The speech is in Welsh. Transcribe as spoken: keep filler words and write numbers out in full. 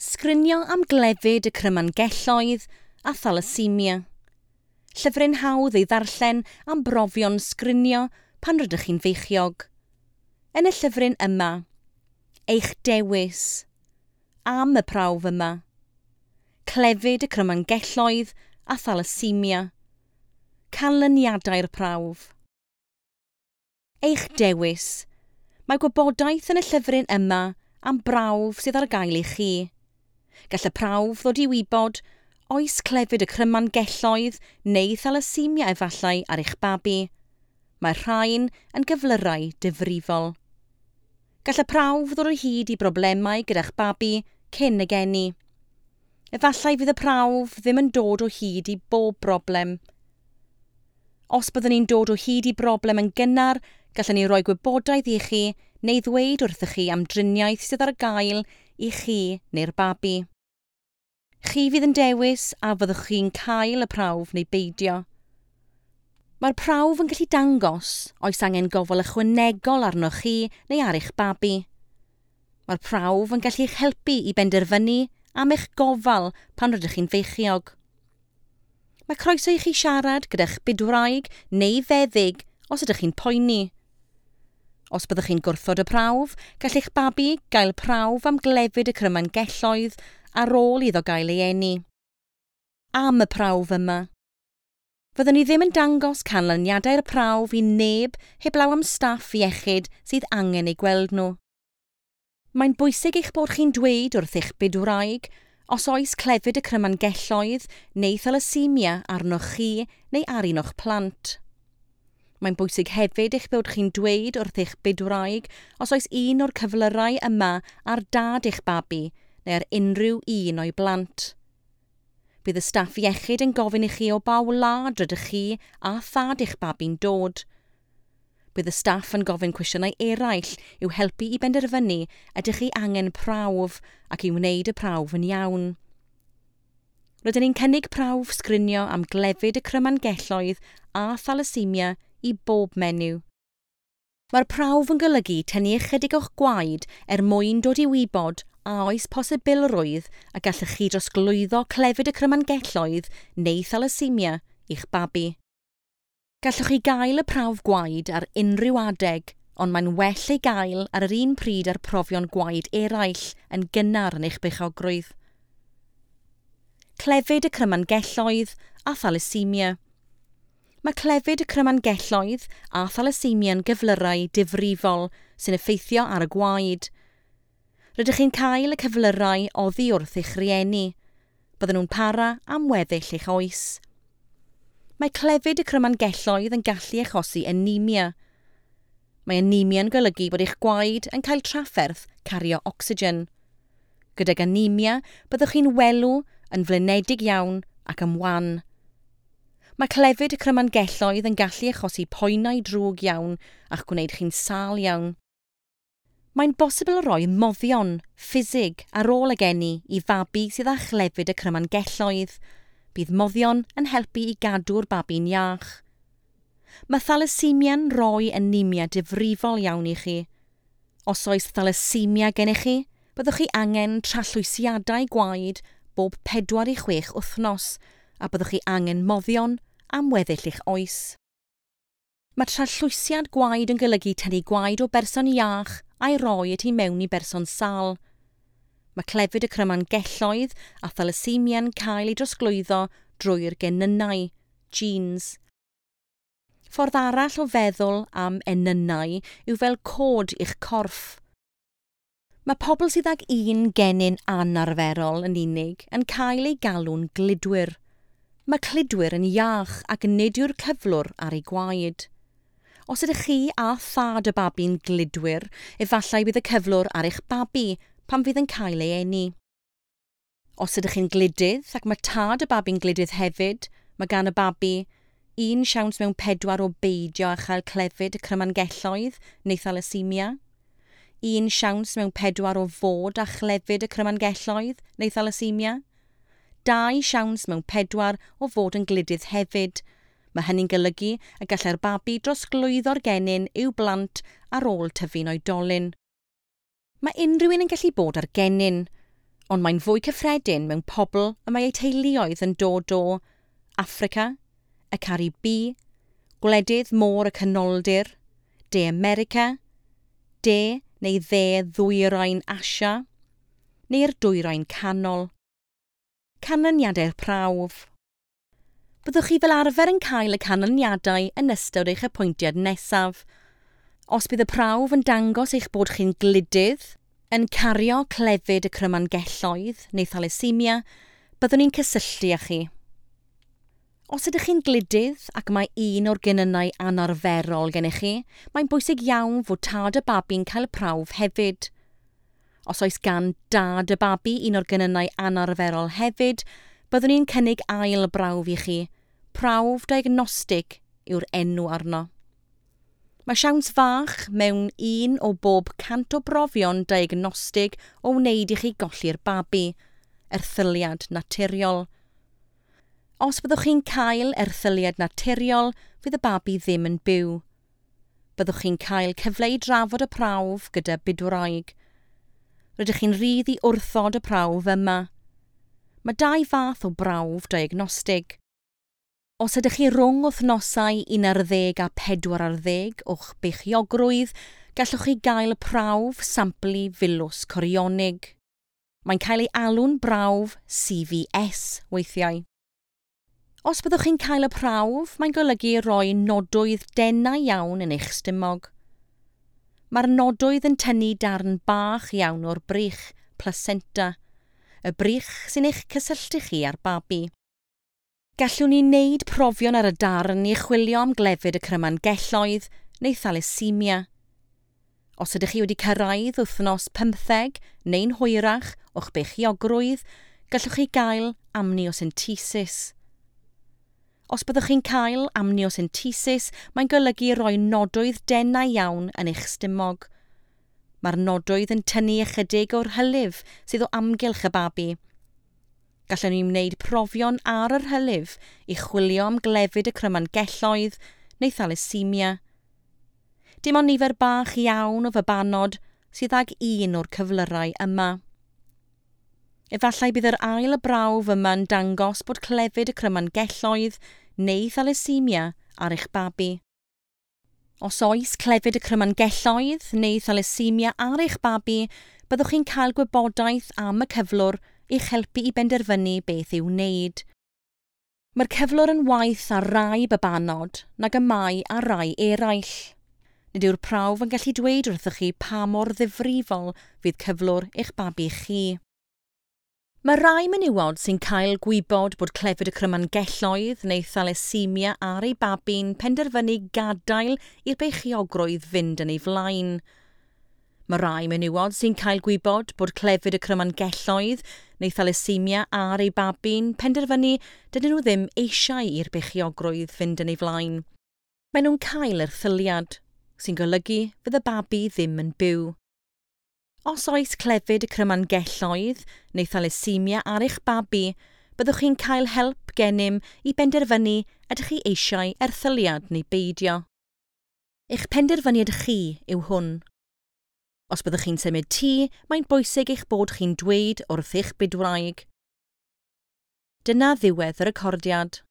Sgrinio am glefyd y crymangelloedd a thalasemia. Llyfryn hawdd ei ddarllen am brofion sgrinio pan rydych chi'n feichiog. Yn y llyfryn yma, eich dewis, am y prawf yma, clefyd y crymangelloedd a thalasemia, canlyniadau'r prawf. Eich dewis. Mae gwybodaeth yn y llyfryn yma am brawf sydd ar gael i chi. Gall y prawf ddod i wybod oes clefyd y crymangelloedd neu thalasemia efallai ar eich babi. Mae'r rhain yn gyflyrau difrifol. Gall y prawf ddod o hyd i broblemau gyda'ch babi cyn y geni. Efallai fydd y prawf ddim yn dod o hyd i bob broblem. Os byddwn ni'n dod o hyd i broblem yn gynnar, gallwn ni roi gwybodaeth i chi neu ddweud wrthych chi am driniaeth sydd ar gael i chi neu'r babi. Chi fydd yn dewis a fyddwch chi'n cael y prawf neu beidio. Mae'r prawf yn gallu dangos oes angen gofal ychwanegol arnoch chi neu ar eich babi. Mae'r prawf yn gallu eich helpu i benderfynu am eich gofal pan rydych chi'n feichiog. Mae croeso i chi siarad gyda'ch bydwraig neu feddyg os ydych chi'n poeni. Os byddwch chi'n gwrthod y prawf, gall eich babi gael prawf am glefyd y crymangelloedd ar ôl iddo gael ei eni. Am y prawf yma. Fyddwn ni ddim yn dangos canlyniadau'r prawf i neb heblaw am staff iechyd sydd angen eu gweld nhw. Mae'n bwysig eich bod chi'n dweud wrth eich bydwraig os oes clefyd y crymangelloedd neu thalasemia arnoch chi neu ar un o'ch plant. Mae'n bwysig hefyd eich bod chi'n dweud wrth eich bydwraig os oes un o'r cyflyrau yma ar dad eich babi neu ar unrhyw un o'i blant. Bydd y staff iechyd yn gofyn i chi o ba wlad rydych chi a thad eich babi'n dod. Bydd y staff yn gofyn cwestiynau eraill i'w helpu i benderfynu ydych chi angen prawf ac i wneud y prawf yn iawn. Rydyn ni'n cynnig prawf sgrinio am glefyd y crymangelloedd a thalasemia i bob menyw. Mae'r prawf yn golygu tynnu ychydig o'ch gwaed er mwyn dod i wybod a oes posibilrwydd a gallwch chi drosglwyddo clefyd y crymangelloedd neu thalasemia i'ch babi. Gallwch chi gael y prawf gwaed ar unrhyw adeg, ond mae'n well ei gael ar yr un pryd â'r profion gwaed eraill yn gynnar yn eich beichiogrwydd. Clefyd y crymangelloedd a thalasemia. Mae clefyd y crymangelloedd a thalasemia'n gyflyrau difrifol sy'n effeithio ar y gwaed. Rydych chi'n cael y cyflyrau oddi wrth eich rhieni. Bydden nhw'n para am weddill eich oes. Mae clefyd y crymangelloedd yn gallu achosi anemia. Mae anemia'n golygu bod eich gwaed yn cael trafferth cario ocsigen. Gydag anemia, byddwch chi'n welw, yn flinedig iawn ac yn wan. Mae clefyd y crymangelloedd yn gallu achosi poenau drwg iawn a'ch gwneud chi'n sâl iawn. Mae'n bosibl rhoi moddion, ffisig, ar ôl y geni i fabi sydd â chlefyd y crymangelloedd. Bydd moddion yn helpu i gadw'r babi'n iach. Mae thalasemia'n rhoi anemia difrifol iawn i chi. Os oes thalasemia gennych chi, byddwch chi angen trallwysiadau gwaed bob pedwar i chwech wythnos a byddwch chi angen moddion am weddill eich oes. Mae trallwysiad gwaed yn golygu tynnu gwaed o berson iach a'i roi y tu mewn i berson sâl. Mae clefyd y crymangelloedd a thalasemia'n cael ei drosglwyddo drwy'r genynnau, genes. Ffordd arall o feddwl am enynnau yw fel cod i'ch corff. Mae pobl sydd ag un genyn anarferol yn unig yn cael eu galw'n gludwyr. Mae cludwyr yn iach ac nid yw'r cyflwr ar ei gwaed. Os ydych chi a thad y babi'n gludwyr, efallai bydd y cyflwr ar eich babi pan fydd yn cael ei eni. Os ydych chi'n gludydd ac mae tad y babi'n gludydd hefyd, mae gan y babi un siawns mewn pedwar o beidio â chael clefyd y crymangelloedd neu thalasemia, un siawns mewn pedwar o fod â chlefyd y crymangelloedd neu thalasemia, dau siawns mewn pedwar o fod yn gludydd hefyd. Mae hynny'n golygu y gallai'r babi drosglwyddo'r genyn i'w blant ar ôl tyfu'n oedolyn. Mae unrhyw un yn gallu bod ar genyn. Ond mae'n fwy cyffredin mewn pobl y mae eu teuluoedd yn dod o Affrica, y Caribi, gwledydd môr y Canoldir, De America, De neu Dde Ddwyrain Asia, neu'r Dwyrain Canol. Canlyniadau'r prawf. Byddwch chi fel arfer yn cael y canlyniadau yn ystod eich apwyntiad nesaf. Os bydd y prawf yn dangos eich bod chi'n gludydd, yn cario clefyd y crymangelloedd neu thalassemia, byddwn ni'n cysylltu â chi. Os ydych chi'n gludydd ac mae un o'r genynnau anarferol gennych chi, mae'n bwysig iawn fod tad y babi'n cael prawf hefyd. Os oes gan dad y babi un o'r genynnau anarferol hefyd, byddwn ni'n cynnig ail brawf i chi. Prawf diagnostig yw'r enw arno. Mae siawns fach mewn un o bob cant o brofion diagnostig o wneud i chi golli'r babi, erthyliad naturiol. Os byddwch chi'n cael erthyliad naturiol, fydd y babi ddim yn byw. Byddwch chi'n cael cyfle i drafod y prawf gyda bydwraig. Rydych chi'n rhydd i wrthod y prawf yma. Mae dau fath o brawf diagnostig. Os ydych chi rhwng wythnosau un ar ddeg a pedwar ar ddeg o'ch beichiogrwydd, gallwch chi gael prawf samplu filws corionig. Mae'n cael ei alw'n brawf C V S weithiau. Os byddwch chi'n cael y prawf, mae'n golygu rhoi nodwydd denau iawn yn eich stumog. Mae'r nodwydd yn tynnu darn bach iawn o'r brych, placenta, y brych sy'n eich cysylltu chi â'r babi. Gallwn ni wneud profion ar y darn i chwilio am glefyd y crymangelloedd neu thalassemia. Os ydych chi wedi cyrraedd wythnos pymtheg neu'n hwyrach o'ch beichiogrwydd, gallwch chi gael amniocentesis. Os byddwch chi'n cael amniocentesis, mae'n golygu rhoi nodwydd denau iawn yn eich stumog. Mae'r nodwydd yn tynnu ychydig o'r hylif sydd o amgylch y babi. Gallwn ni wneud profion ar yr hylif i chwilio am glefyd y crymangelloedd neu thalassemia. Dim ond nifer bach iawn o fabanod sydd ag un o'r cyflyrau yma. Efallai bydd yr ail brawf yma'n dangos bod clefyd y crymangelloedd neu thalassemia ar eich babi. Os oes clefyd y crymangelloedd neu thalassemia ar eich babi, byddwch chi'n cael gwybodaeth am y cyflwr i'ch helpu i benderfynu beth i'w wneud. Mae'r cyflwr yn waeth ar rai babanod nag y mae ar rai eraill. Nid yw'r prawf yn gallu dweud wrthych chi pa mor ddifrifol fydd cyflwr eich babi chi. Mae rai menywod sy'n cael gwybod bod clefyd y crymangelloedd neu thalassemia ar ei babi'n penderfynu gadael i'r beichiogrwydd fynd yn ei flaen. Mae rai menywod sy'n cael gwybod bod clefyd y crymangelloedd neu thalassemia ar ei babi'n penderfynu dydyn nhw ddim eisiau i'r beichiogrwydd fynd yn ei flaen. Maen nhw'n cael erthyliad, sy'n golygu fydd y babi ddim yn byw. Os oes clefyd y crymangelloedd neu thalassemia ar eich babi, byddwch chi'n cael help gennym i benderfynu ydych chi eisiau erthyliad neu beidio. Eich penderfyniad chi yw hwn. Os byddwch chi'n symud tŷ, mae'n bwysig eich bod chi'n dweud wrth eich bydwraig. Dyna ddiwedd y recordiad.